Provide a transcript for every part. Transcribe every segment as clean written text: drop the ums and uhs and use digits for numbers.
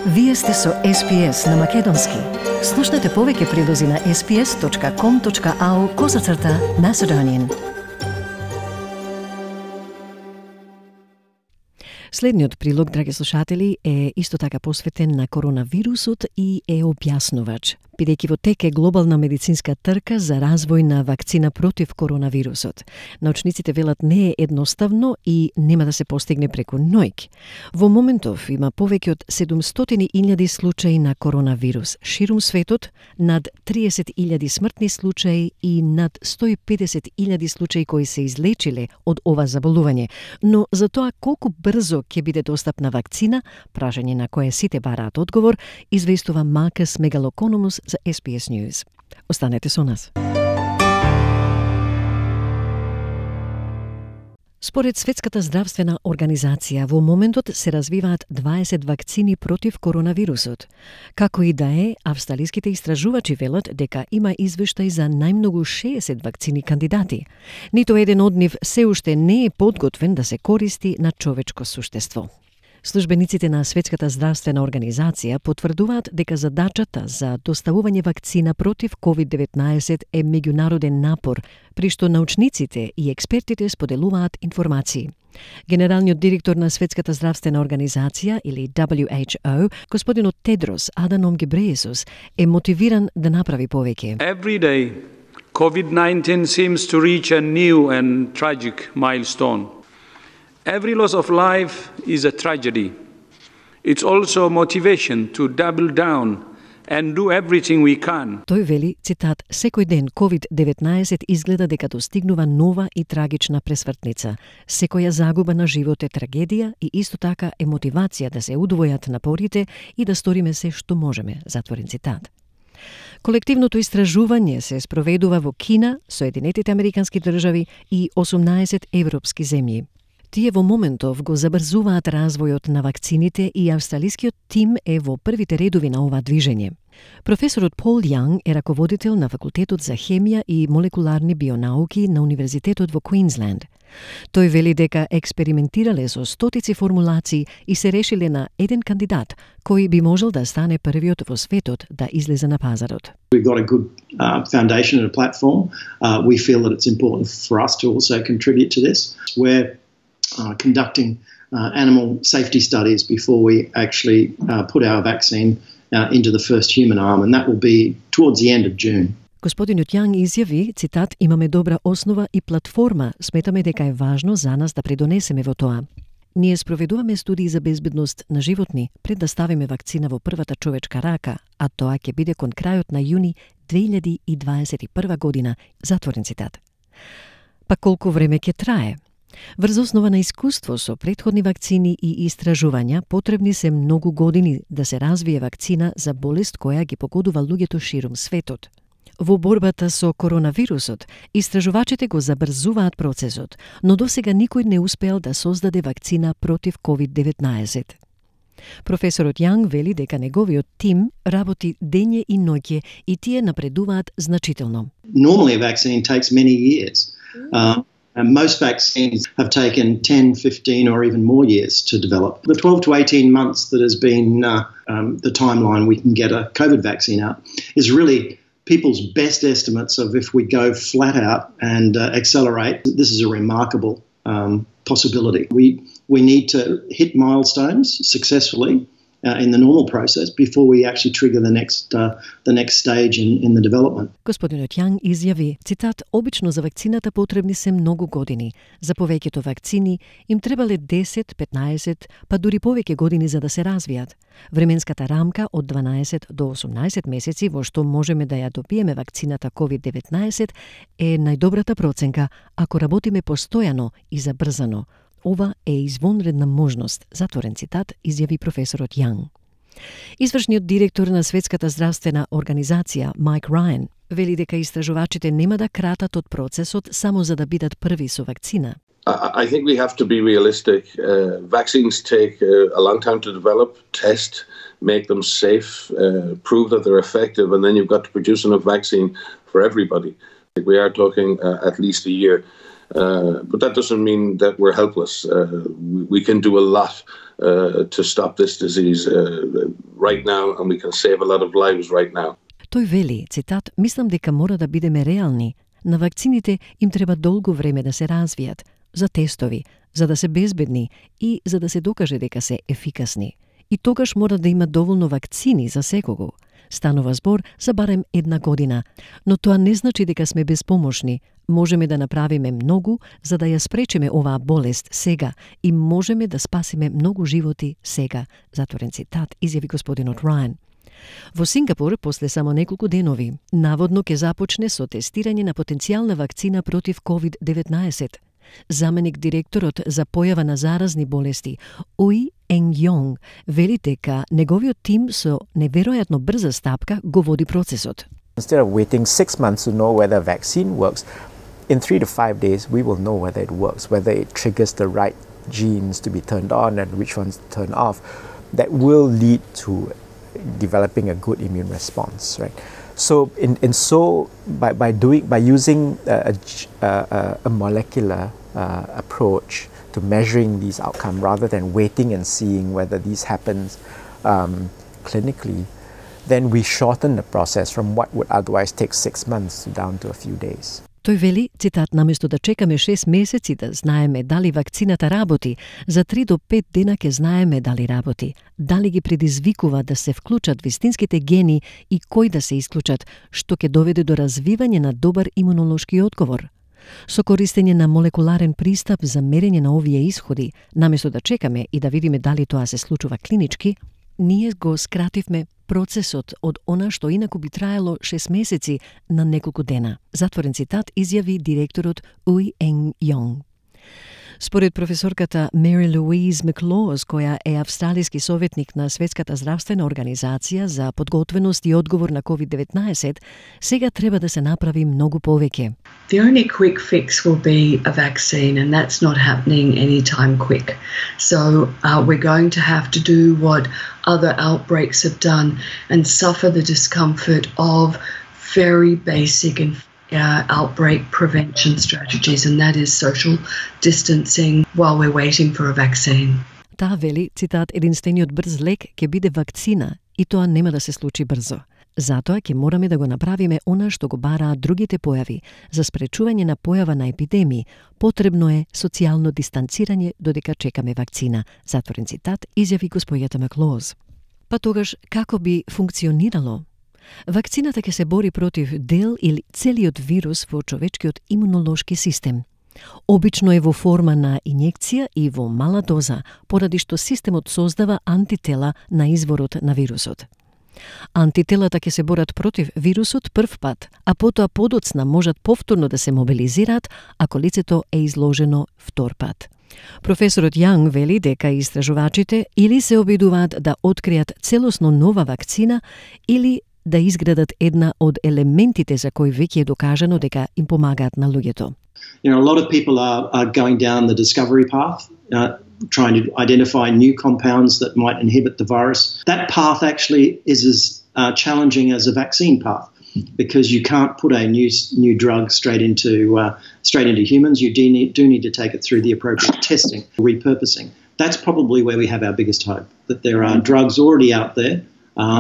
Вие сте со SPS на Македонски. Слушнете повеќе прилози на sps.com.au/Macedonian. Следниот прилог, драги слушатели, е исто така посветен на коронавирусот и е објаснувач, бидејќи во тек е глобална медицинска трка за развој на вакцина против коронавирусот. Научниците велат не е едноставно и нема да се постигне преку ноќ. Во моментов има повеќе од 700.000 случаи на коронавирус ширум светот, над 30.000 смртни случаи и над 150.000 случаи кои се излечиле од ова заболување. Но за тоа колку брзо ќе биде достапна вакцина, прашање на кое сите бараат одговор, известува Маркус Мегалокономус за SBS News. Останете со нас. Според Светската здравствена организација, во моментот се развиваат 20 вакцини против коронавирусот. Како и да е, австралиските истражувачи велат дека има извештај за најмногу 60 вакцини кандидати. Ниту еден од нив се уште не е подготвен да се користи на човечко суштество. Службениците на Светската здравствена организација потврдуваат дека задачата за доставување вакцина против COVID-19 е меѓународен напор, при што научниците и експертите споделуваат информации. Генералниот директор на Светската здравствена организација, или WHO, господинот Тедрос Аданом Гебрејесус, е мотивиран да направи повеќе. Every day, COVID-19 seems to reach a new and tragic milestone. Every loss of life is a tragedy. It's also motivation to double down and do everything we can. Тој вели, цитат, секој ден COVID-19 изгледа дека достигнува нова и трагична пресвртница. Секоја загуба на живот е трагедија и исто така е мотивација да се удвојат напорите и да сториме се што можеме, затворен цитат. Колективното истражување се спроведува во Кина, Соединетите Американски држави и 18 европски земји. Тие во моментов го забрзуваат развојот на вакцините и австралискиот тим е во првите редови на ова движење. Професорот Пол Јанг е раководител на факултетот за хемија и молекуларни бионауки на Универзитетот во Квинсленд. Тој вели дека експериментирале со стотици формулации и се решиле на еден кандидат кој би можел да стане првиот во светот да излезе на пазарот. We've got a good foundation and a platform. We feel that it's important for us to also contribute to this. We're conducting animal safety studies before we actually put our vaccine into the first human arm, and that will be towards the end of June. Господинот Јанг изјави, цитат, имаме добра основа и платформа, сметаме дека е важно за нас да придонесеме во тоа. Ние спроведуваме студии за безбедност на животни пред да ставиме вакцина во првата човечка рака, а тоа ќе биде кон крајот на јуни 2021 година, затворен цитат. Па колку време ќе трае? Врз основа на искуство со претходни вакцини и истражувања, потребни се многу години да се развие вакцина за болест која ги погодува луѓето ширум светот. Во борбата со коронавирусот, истражувачите го забрзуваат процесот, но досега никој не успеал да создаде вакцина против COVID-19. Професорот Јанг вели дека неговиот тим работи дење и ноќе и тие напредуваат значително. Normally a vaccine takes many years. And most vaccines have taken 10, 15 or even more years to develop. The 12 to 18 months that has been the timeline we can get a COVID vaccine out is really people's best estimates of if we go flat out and accelerate. This is a remarkable possibility. We need to hit milestones successfully in the normal process before we actually trigger the next stage in the development. Господинот Јанг изјави, цитат, обично за вакцината потребни се многу години. За повеќето вакцини им требале 10, 15, па дури повеќе години за да се развијат. Временската рамка од 12 до 18 месеци во што можеме да ја добиеме вакцината COVID-19 е најдобрата проценка ако работиме постојано и забрзано. Ова е извонредна можност, затворен цитат, изјави професорот Јанг. Извршниот директор на Светската здравствена организација, Майк Рајан, вели дека истражувачите нема да кратат од процесот само за да бидат први со вакцина. I think we have to be realistic. Vaccines take a long time to develop, test, make them safe, prove that they're effective, and then you've got to produce enough vaccine for everybody. We are talking at least a year. But that doesn't mean that we're helpless. We can do a lot to stop this disease right now and we can save a lot of lives right now. Тој вели, цитат, мислам дека мора да бидеме реални. На вакцините им треба долго време да се развијат, за тестови, за да се безбедни и за да се докаже дека се ефикасни. И тогаш мора да има доволно вакцини за секого. Станува збор за барем 1 година, но тоа не значи дека сме безпомошни. Можеме да направиме многу за да ја спречиме оваа болест сега и можеме да спасиме многу животи сега, затворен цитат, изјави господинот Рајан. Во Сингапур, после само неколку денови, наводно ќе започне со тестирање на потенцијална вакцина против COVID-19. Заменик директорот за појава на заразни болести, Уи Енг Јонг, вели дека неговиот тим со неверојатно брза стапка го води процесот. Instead of waiting 6 months to know whether a vaccine works, in 3 to 5 days we will know whether it works, whether it triggers the right genes to be turned on and which ones to turn off. That will lead to developing a good immune response, right? So, by using a molecular approach to measuring these outcomes rather than waiting and seeing whether these happens clinically, then we shorten the process from what would otherwise take 6 months down to a few days. Тој вели, цитат, наместо да чекаме 6 месеци да знаеме дали вакцината работи, за 3 до 5 дена ќе знаеме дали работи, дали ги предизвикува да се вклучат вистинските гени и кои да се исклучат, што ќе доведе до развивање на добар имунолошки одговор. Со користење на молекуларен пристап за мерење на овие исходи, наместо да чекаме и да видиме дали тоа се случува клинички, ние го скративме процесот од она што инаку би траело 6 месеци на неколку дена. Затворен цитат, изјави директорот Уи Енг Јонг. Според професорката Мери Луиз Маклоз, која е австралиски советник на Светската здравствена организација за подготвеност и одговор на COVID-19, сега треба да се направи многу повеќе. The only quick fix will be a vaccine, and that's not happening anytime quick. So we're going to have to do what other outbreaks have done and suffer the discomfort of very basic and outbreak prevention strategies, and that is social distancing while we're waiting for a vaccine. Таа вели, цитат, единствениот брз лек ќе биде вакцина и тоа нема да се случи брзо. Затоа ќе мораме да го направиме она што го бараат другите појави. За спречување на појава на епидемии, потребно е социјално дистанцирање додека чекаме вакцина. Затворен цитат, изјави госпојата Маклоз. Па тогаш, како би функционирало? Вакцината ќе се бори против дел или целиот вирус во човечкиот имунолошки систем. Обично е во форма на инјекција и во мала доза, поради што системот создава антитела на изворот на вирусот. Антителата ќе се борат против вирусот прв пат, а потоа подоцна можат повторно да се мобилизираат ако лицето е изложено втор пат. Професорот Јанг вели дека истражувачите или се обидуваат да откријат целосно нова вакцина или да изградат една од елементите за кои веќе е докажано дека им помагаат на луѓето. You know, a lot of people are going down the discovery path, trying to identify new compounds that might inhibit the virus. That path actually is as challenging as a vaccine path, because you can't put a new drug straight into humans. You do need to take it through the appropriate testing, repurposing. That's probably where we have our biggest hope, that there are drugs already out there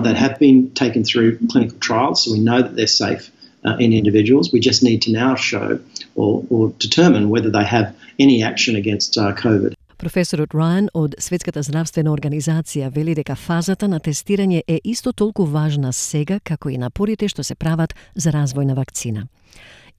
that have been taken through clinical trials, so we know that they're safe in individuals. We just need to now show or determine whether they have any action against COVID. Професорот Рајан од Светската здравствена организација вели дека фазата на тестирање е исто толку важна сега како и напорите што се прават за развој на вакцина.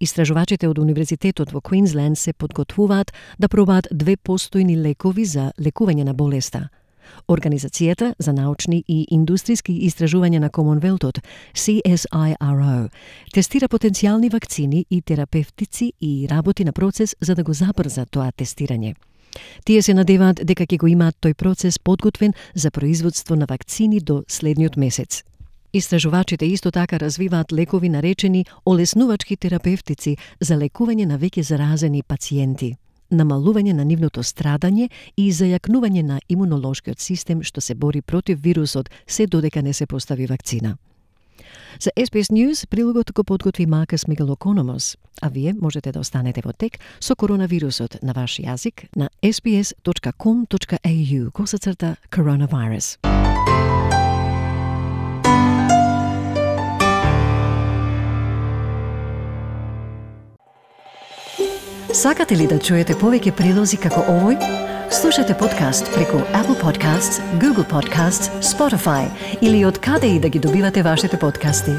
Истражувачите од Универзитетот во Квинсленд се подготвуваат да пробаат 2 постојни лекови за лекување на болеста. Организацијата за научни и индустријски истражувања на Комонвелтот, CSIRO, тестира потенцијални вакцини и терапевтици и работи на процес за да го забрза тоа тестирање. Тие се надеваат дека ќе го имаат тој процес подготвен за производство на вакцини до следниот месец. Истражувачите исто така развиваат лекови наречени олеснувачки терапевтици за лекување на веќе заразени пациенти, намалување на нивното страдање и зајакнување на имунолошкиот систем што се бори против вирусот се додека не се постави вакцина. За SBS News прилогот го подготви Маркус Мегалокономос, а вие можете да останете во тек со коронавирусот на ваш јазик на sbs.com.au/coronavirus. Сакате ли да чуете повеќе прилози како овој? Слушате подкаст преку Apple Podcasts, Google Podcasts, Spotify или од каде и да ги добивате вашите подкасти.